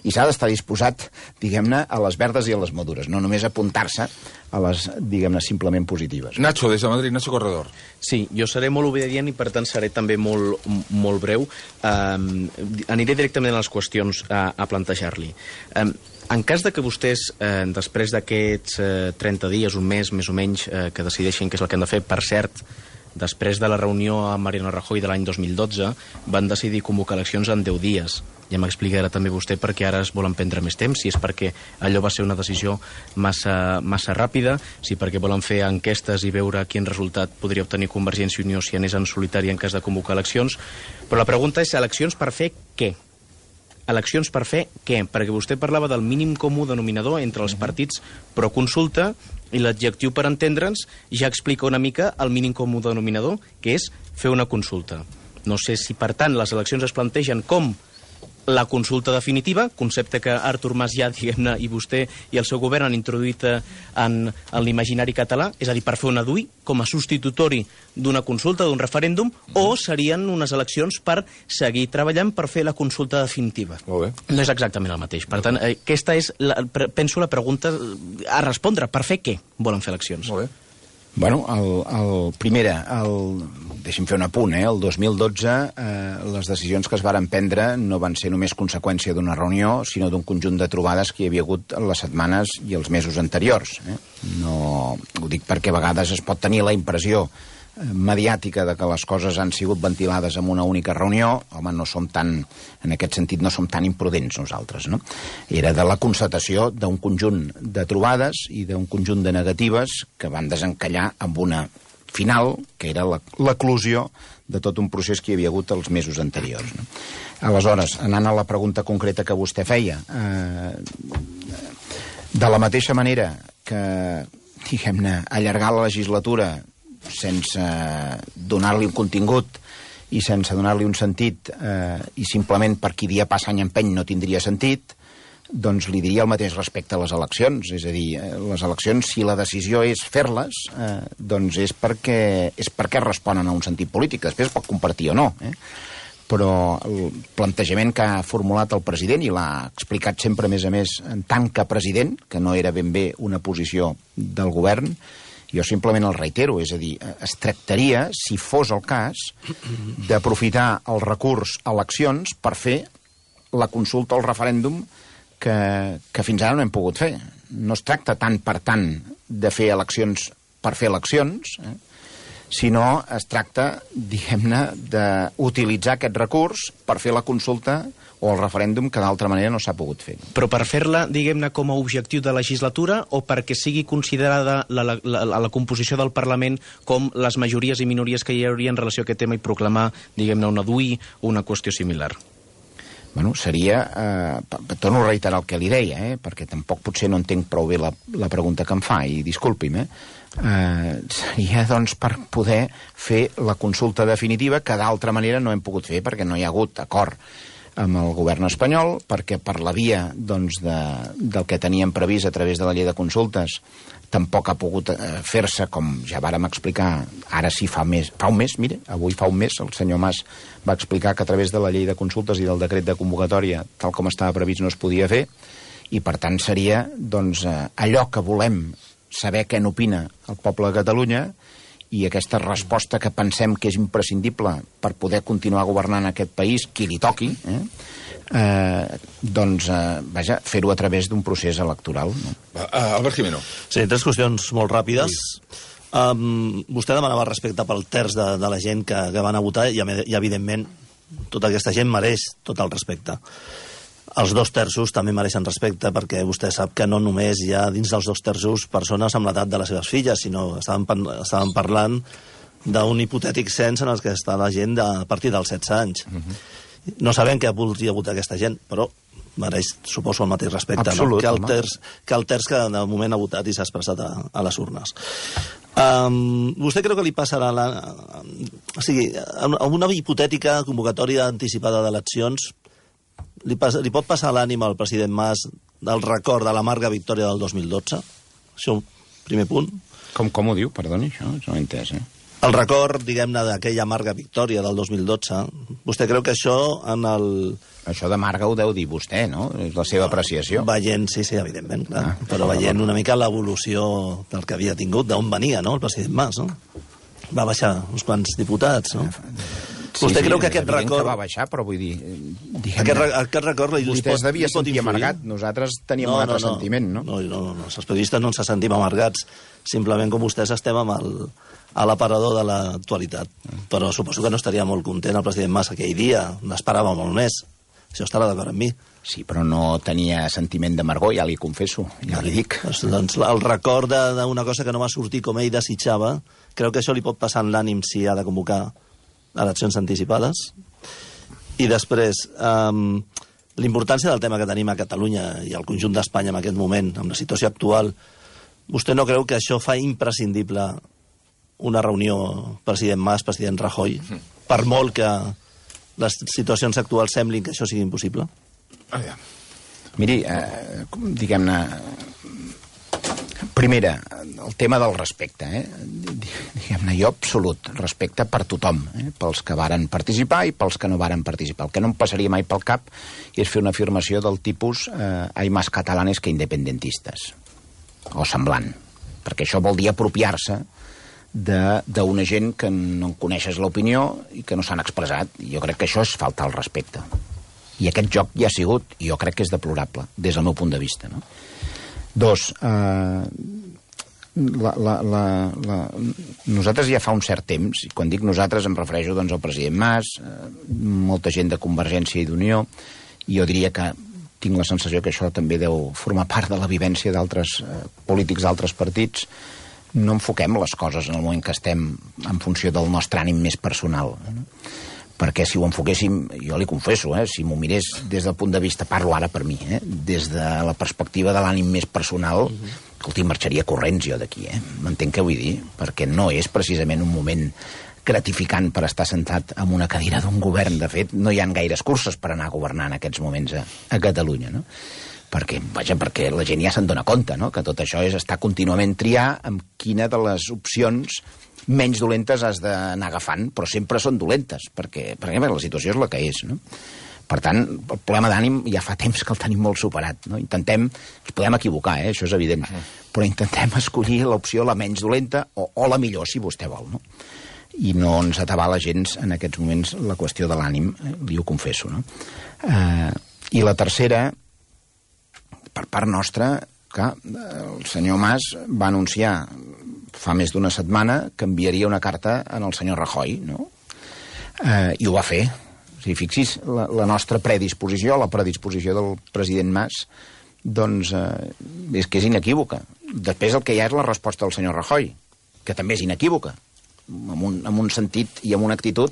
i s'ha d'estar disposat, diguem-ne, a les verdes i a les madures, no només apuntar-se a les, diguem-ne, simplement positives. Nacho, des de Madrid, Nacho Corredor. Sí, jo seré molt obedient i per tant seré també molt breu. Aniré directament a les qüestions a plantejar-li. En cas de que vostès, després d'aquests 30 dies, un mes, més o menys, que decideixin què és el que han de fer, per cert, després de la reunió amb Mariano Rajoy de l'any 2012, van decidir convocar eleccions en 10 dies. Ja m'explicarà també vostè per què ara es volen prendre més temps, si és perquè allò va ser una decisió massa ràpida, si perquè volen fer enquestes i veure quin resultat podria obtenir Convergència i Unió si anés en solitari en cas de convocar eleccions. Però la pregunta és, eleccions per fer què? Eleccions per fer què? Perquè vostè parlava del mínim comú denominador entre els partits pro consulta, i l'adjectiu per entendre'ns ja explica una mica el mínim comú denominador, que és fer una consulta. No sé si, per tant, les eleccions es plantegen com la consulta definitiva, concepte que Artur Mas ja, diguem-ne, i vostè i el seu govern han introduït en l'imaginari català, és a dir, per fer una DUI com a substitutori d'una consulta, d'un referèndum, o serien unes eleccions per seguir treballant per fer la consulta definitiva. Molt bé. No és exactament el mateix. Per tant, aquesta és, penso, la pregunta a respondre. Per fer què volen fer eleccions? Molt bé. Bueno, primera, deixi'm fer un apunt, el 2012 les decisions que es varen prendre no van ser només conseqüència d'una reunió, sinó d'un conjunt de trobades que hi havia hagut les setmanes i els mesos anteriors. No, ho dic perquè a vegades es pot tenir la impressió mediàtica de que les coses han sigut ventilades en una única reunió. Home, no som tan, en aquest sentit, no som tan imprudents nosaltres, no? Era de la constatació d'un conjunt de trobades i d'un conjunt de negatives que van desencallar amb una final, que era l'eclusió de tot un procés que hi havia hagut els mesos anteriors, no? Aleshores, anant a la pregunta concreta que vostè feia, de la mateixa manera que, diguem-ne, allargar la legislatura sense donar-li un contingut i sense donar-li un sentit i simplement per qui dia passa any empeny no tindria sentit, doncs li diria el mateix respecte a les eleccions. És a dir, les eleccions, si la decisió és fer-les, doncs és perquè responen a un sentit polític. Després es pot compartir o no, però el plantejament que ha formulat el president, i l'ha explicat sempre, a més, en tant que president, que no era ben bé una posició del govern, jo simplement el reitero, és a dir, es tractaria, si fos el cas, d'aprofitar el recurs a eleccions per fer la consulta o el referèndum que fins ara no hem pogut fer. No es tracta tant per tant de fer eleccions per fer eleccions, sinó es tracta, diguem-ne, d'utilitzar aquest recurs per fer la consulta o el referèndum que d'altra manera no s'ha pogut fer. Però per fer-la, diguem-ne, com a objectiu de legislatura o perquè sigui considerada la composició del Parlament com les majories i minories que hi hauria en relació a aquest tema i proclamar, diguem-ne, una DUI o una qüestió similar? Bueno, seria... torno a reiterar el que li deia, perquè tampoc potser no entenc prou bé la pregunta que em fa, i disculpi'm, seria, doncs, per poder fer la consulta definitiva que d'altra manera no hem pogut fer perquè no hi ha hagut acord amb el govern espanyol, perquè per la via, doncs, del que teníem previst a través de la llei de consultes tampoc ha pogut fer-se, com ja vàrem explicar, ara sí fa un mes, mire, avui fa un mes, el senyor Mas va explicar que a través de la llei de consultes i del decret de convocatòria, tal com estava previst, no es podia fer, i per tant seria, doncs, allò que volem saber què n'opina el poble de Catalunya i aquesta resposta que pensem que és imprescindible per poder continuar governant aquest país, qui li toqui, doncs, vaja, fer-ho a través d'un procés electoral. No? Albert Jimeno. Sí, tres qüestions molt ràpides. Vostè demanava respecte pel terç de la gent que van a votar i evidentment, tota aquesta gent mereix tot el respecte. Els 2/3 també mereixen respecte perquè vostè sap que no només hi ha dins dels 2/3 persones amb l'edat de les seves filles, sinó estàvem parlant d'un hipotètic cens en el que està la gent a partir dels 16 anys. No sabem què voldria votar aquesta gent, però mereix, suposo, el mateix respecte. Absolut, no? que el terç que de moment ha votat i s'ha expressat a les urnes. Vostè creu que li passarà o sigui, amb una hipotètica convocatòria anticipada d'eleccions li pot passar a l'ànima al president Mas del record de l'amarga victòria del 2012? Això, primer punt. Com ho diu? Perdoni, això no ho he entès, El record, diguem-ne, d'aquella amarga victòria del 2012, vostè creu que això en el... Això d'amarga ho deu dir vostè, no? És la seva apreciació. Veient, sí, evidentment, clar. Però veient una mica l'evolució del que havia tingut, d'on venia, no?, el president Mas, no? Va baixar uns quants diputats, no? Vostè creu que aquest record... que va baixar, però vull dir... Aquest record... Vostè es devia sentir amargat. Nosaltres teníem un altre sentiment, no? No, els periodistes no ens sentim amargats. Simplement com vostès estem a l'aparador de l'actualitat. Però suposo que no estaria molt content el president Mas aquell dia. N'esperava molt més. Això estarà d'acord amb mi. Sí, però no tenia sentiment d'amargor, ja li confesso, ja li dic. Doncs el record d'una cosa que no va sortir com ell desitjava, creu que això li pot passar en l'ànim si ha de convocar eleccions anticipades. I després, l'importància del tema que tenim a Catalunya i al conjunt d'Espanya en aquest moment, amb la situació actual, vostè no creu que això fa imprescindible una reunió president Mas, president Rajoy, per molt que les situacions actuals semblin que això sigui impossible? Miri, diguem-ne, primera, el tema del respecte, diguem-ne, jo absolut respecte per tothom, pels que varen participar i pels que no varen participar. El que no em passaria mai pel cap és fer una afirmació del tipus hay más catalanes que independentistas, o semblant, perquè això vol dir apropiar-se d'una gent que no en coneixes l'opinió i que no s'han expressat. Jo crec que això és faltar al respecte. I aquest joc ja ha sigut, i jo crec que és deplorable, des del meu punt de vista. No? Dos, nosaltres ja fa un cert temps, i quan dic nosaltres em refereixo doncs, al president Mas, molta gent de Convergència i d'Unió, i jo diria que tinc la sensació que això també deu formar part de la vivència d'altres polítics d'altres partits. No enfoquem les coses en el moment que estem en funció del nostre ànim més personal. Perquè si ho enfoquéssim, jo li confesso, si m'ho mirés des del punt de vista, parlo ara per mi, des de la perspectiva de l'ànim més personal, escolti, marxaria corrents jo d'aquí, m'entenc què vull dir? Perquè no és precisament un moment gratificant per estar sentat en una cadira d'un govern. De fet, no hi ha gaires curses per anar a governar en aquests moments a Catalunya, no? Perquè la gent ja se'n dona compte, no? Que tot això és estar contínuament triar amb quina de les opcions menys dolentes has d'anar agafant, però sempre són dolentes, perquè la situació és la que és, no? Per tant, el problema d'ànim ja fa temps que el tenim molt superat, no? Intentem, ens podem equivocar, això és evident, però intentem escollir l'opció la menys dolenta o la millor, si vostè vol, no? I no ens atabala gens en aquests moments la qüestió de l'ànim, li ho confesso, no? I la tercera, per part nostra, que el senyor Mas va anunciar fa més d'una setmana que enviaria una carta al senyor Rajoy, no? I ho va fer. O sigui, fixi's, la nostra predisposició, la predisposició del president Mas, doncs és que és inequívoca. Després el que hi ha és la resposta del senyor Rajoy, que també és inequívoca, amb un sentit i amb una actitud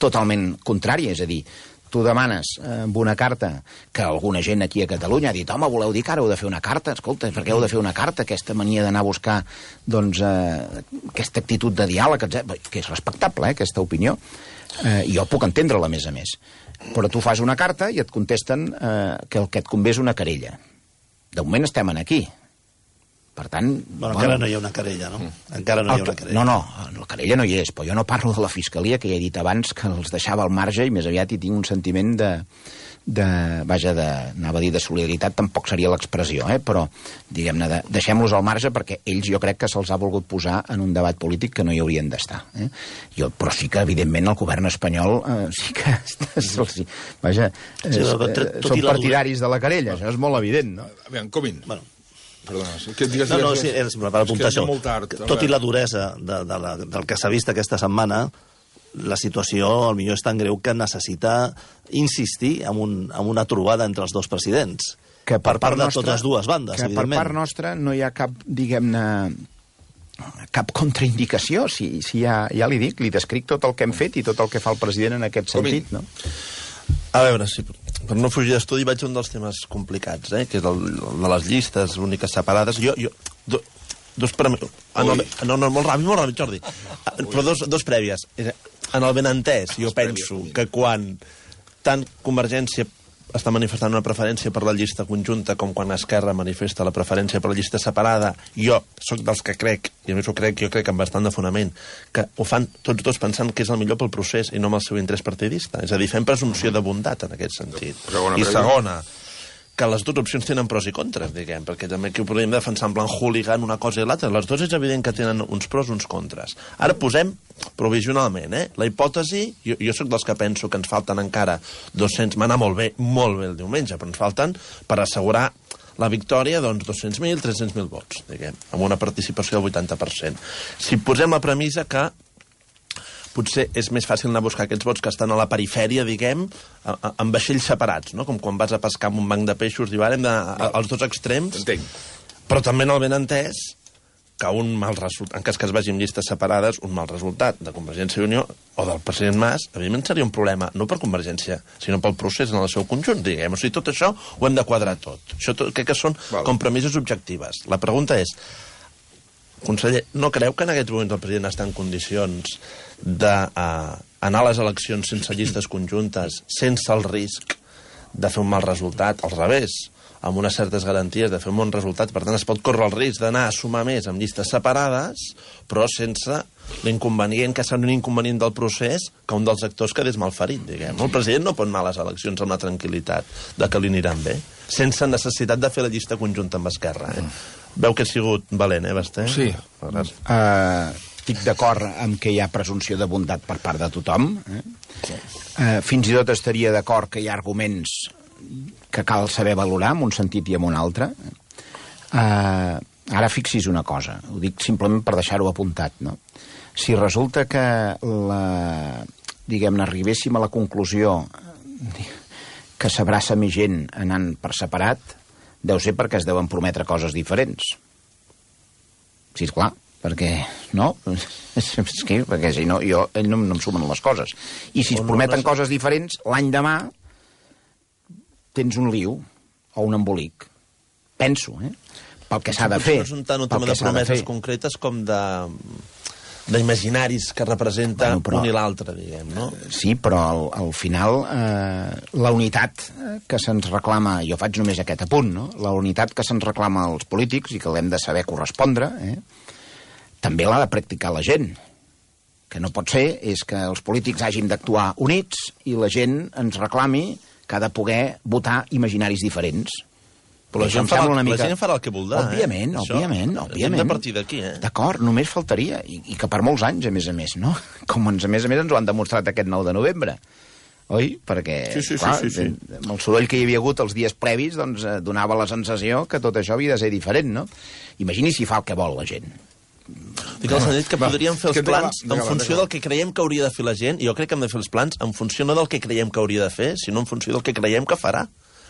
totalment contrària, és a dir, tu demanes amb una carta que alguna gent aquí a Catalunya ha dit, home, voleu dir que ara heu de fer una carta? Escolta, per què heu de fer una carta? Aquesta mania d'anar a buscar, doncs, aquesta actitud de diàleg, que és respectable, aquesta opinió. Jo puc entendre-la, a més. Però tu fas una carta i et contesten que el que et convé és una querella. De moment estem aquí. Per tant... encara no hi ha una querella, no? Encara no hi ha una querella. No, la querella no hi és, però jo no parlo de la Fiscalia, que ja he dit abans que els deixava al marge i més aviat hi tinc un sentiment anava a dir de solidaritat, tampoc seria l'expressió, però, diguem-ne, deixem-los al marge perquè ells jo crec que se'ls ha volgut posar en un debat polític que no hi haurien d'estar. Però sí que, evidentment, el govern espanyol sí que són partidaris de la querella, això és molt evident, no? Aviam, Comín. Bueno, perdona, és per apuntar això. Tot i la duresa del que s'ha vist aquesta setmana, la situació potser és tan greu que necessita insistir en una trobada entre els dos presidents. Que per part de totes dues bandes, evidentment. Que per part nostra no hi ha cap, diguem-ne, cap contraindicació. Si ja li dic, li descric tot el que hem fet i tot el que fa el president en aquest sentit, no? A veure, sí, per no fugir d'estudi vaig a un dels temes complicats, que és el de les llistes úniques separades. Molt ràpid, Jordi. Però dos prèvies. En el benentès, jo penso que quan tant Convergència està manifestant una preferència per la llista conjunta com quan Esquerra manifesta la preferència per la llista separada, jo sóc dels que crec, i a més jo crec amb bastant de fonament, que ho fan tots dos pensant que és el millor pel procés i no amb el seu interès partidista. És a dir, fem presumpció de bondat en aquest sentit. I segona, que les dues opcions tenen pros i contres, diguem, perquè també aquí ho podríem defensar en plan hooligan una cosa i l'altra. Les dues és evident que tenen uns pros i uns contres. Ara posem provisionalment, la hipòtesi, jo sóc dels que penso que ens falten encara 200, m'ha anat molt bé el diumenge, però ens falten per assegurar la victòria, doncs, 200.000, 300.000 vots, diguem, amb una participació del 80%. Si posem la premissa que potser és més fàcil anar a buscar aquests vots que estan a la perifèria, diguem, amb vaixells separats, no? Com quan vas a pescar amb un banc de peixos, diu, ara als dos extrems. Entenc. Però també en el benentès, que un mal resultat, en cas que es vagi amb llistes separades, un mal resultat de Convergència i Unió o del president Mas, evidentment seria un problema, no per Convergència, sinó pel procés en el seu conjunt, diguem. O sigui, tot això ho hem de quadrar tot. Això crec que són compromisos objectives. La pregunta és, conseller, no creu que en aquests moments el president està en condicions d'anar a les eleccions sense llistes conjuntes, sense el risc de fer un mal resultat, al revés, amb unes certes garanties de fer un bon resultat, per tant es pot córrer el risc d'anar a sumar més amb llistes separades, però sense l'inconvenient, que serà un inconvenient del procés, que un dels actors quedés malferit, diguem. El president no pot anar a les eleccions amb la tranquil·litat de que li aniran bé, sense necessitat de fer la llista conjunta amb Esquerra. Veu que ha sigut valent, Basté? Sí. estic d'acord amb que hi ha presumpció de bondat per part de tothom. Fins i tot estaria d'acord que hi ha arguments que cal saber valorar en un sentit i en un altre. Ara fixi's una cosa, ho dic simplement per deixar-ho apuntat, no? Si resulta que diguem-ne, arribéssim a la conclusió que s'abraça més gent anant per separat, deu ser perquè es deuen prometre coses diferents. Sí, esclar, perquè no? Perquè si no, ell no em sumen les coses. I si es prometen coses diferents, l'any demà tens un liu o un embolic. Penso, pel que s'ha de fer. No és un tant un tema de promeses concretes com d'imaginaris que representa un i l'altre, diguem, no? Sí, però al final la unitat que se'ns reclama, jo faig només aquest apunt, no? La unitat que se'ns reclama als polítics i que l'hem de saber correspondre, també l'ha de practicar la gent. Que no pot ser és que els polítics hagin d'actuar units i la gent ens reclami que ha de poder votar imaginaris diferents. Però la gent farà el que voldrà. Òbviament. Hem de partir d'aquí, D'acord, només faltaria. I que per molts anys, a més, no? Com a més ens ho han demostrat aquest 9 de novembre. Oi? Perquè, clar, amb el soroll que hi havia hagut els dies previs, doncs donava la sensació que tot això havia de ser diferent, no? Imagini si fa el que vol la gent. Dic al sentit que podríem fer els plans en funció del que creiem que hauria de fer la gent, i jo crec que hem de fer els plans en funció no del que creiem que hauria de fer, sinó en funció del que creiem que farà.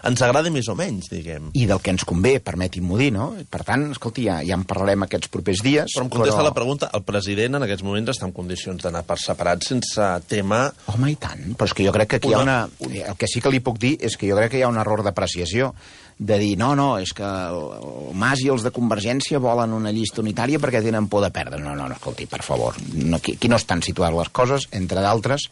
Ens agrada més o menys, diguem. I del que ens convé, permeti'm-ho dir, no? Per tant, escolti, ja en parlarem aquests propers dies. Però em contesta la pregunta, el president en aquests moments està en condicions d'anar per separat sense tema... Home, i tant, però és que jo crec que aquí hi ha una... El que sí que li puc dir és que jo crec que hi ha un error d'apreciació, de dir, no, és que el Mas i els de Convergència volen una llista unitària perquè tenen por de perdre. No, escolti, per favor, aquí no estan situades les coses, entre d'altres,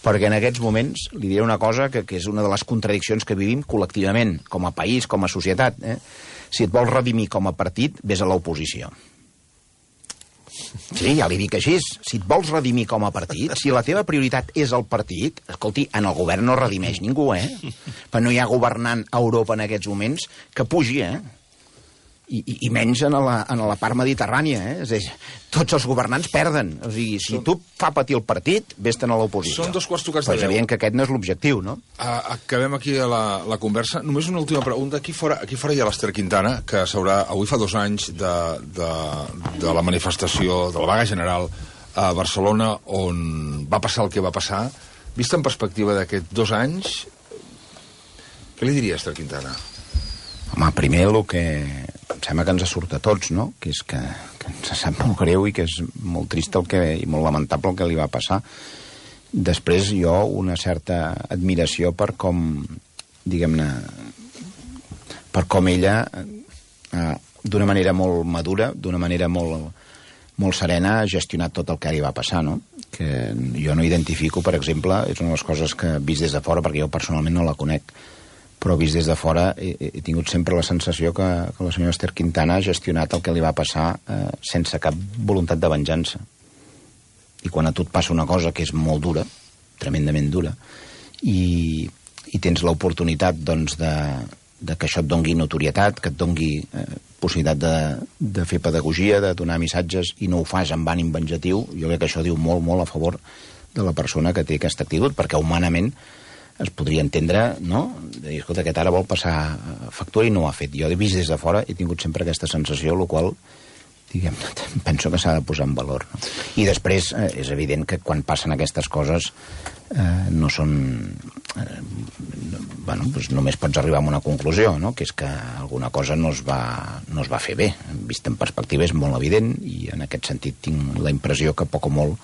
perquè en aquests moments li diré una cosa que és una de les contradiccions que vivim col·lectivament, com a país, com a societat. Si et vols redimir com a partit, vés a l'oposició. Sí, ja li dic així. Si et vols redimir com a partit, si la teva prioritat és el partit, escolti, en el govern no redimeix ningú, Però no hi ha governant a Europa en aquests moments que pugi, I menys en la part mediterrània, És a dir, tots els governants perden. O sigui, si tu fa patir el partit, vés-te'n a l'oposició. Són 2 quarts tocats de 10. Però és evident que aquest no és l'objectiu, no? Acabem aquí la conversa. Només una última pregunta. Aquí fora hi ha l'Ester Quintana, que avui fa 2 anys de la manifestació, de la vaga general a Barcelona, on va passar el que va passar. Vist en perspectiva d'aquests 2 anys, què li diria Ester Quintana? Home, primer el que em sembla que ens surt a tots, no? Que és que ens sap molt greu i que és molt trist i molt lamentable el que li va passar. Després jo una certa admiració per com, diguem-ne, per com ella, d'una manera molt madura, d'una manera molt serena, ha gestionat tot el que li va passar, no? Que jo no identifico, per exemple, és una de les coses que he vist des de fora, perquè jo personalment no la conec, però vist des de fora he tingut sempre la sensació que la senyora Ester Quintana ha gestionat el que li va passar sense cap voluntat de venjança. I quan a tu et passa una cosa que és molt dura, tremendament dura, i tens l'oportunitat, doncs, de que això et dongui notorietat, que et dongui possibilitat de fer pedagogia, de donar missatges, i no ho fas amb ànim venjatiu, jo crec que això diu molt, molt a favor de la persona que té aquesta actitud, perquè humanament es podria entendre, no? De dir, escolta, aquest ara vol passar factura i no ho ha fet. Jo he vist des de fora, he tingut sempre aquesta sensació, el qual, diguem-ne, penso que s'ha de posar en valor, no? I després és evident que quan passen aquestes coses no són... doncs només pots arribar a una conclusió, no? Que és que alguna cosa no es va fer bé. Vist en perspectiva és molt evident i en aquest sentit tinc la impressió que poc o molt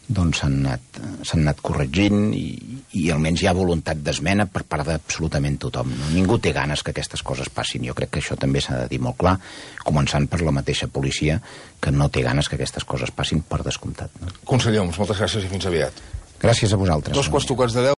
doncs s'han anat corregint i almenys hi ha voluntat d'esmena per part d'absolutament tothom. No? Ningú té ganes que aquestes coses passin. Jo crec que això també s'ha de dir molt clar, començant per la mateixa policia, que no té ganes que aquestes coses passin per descomptat. No? Conseller Homs, moltes gràcies i fins aviat. Gràcies a vosaltres. 2 quarts tocats de 10.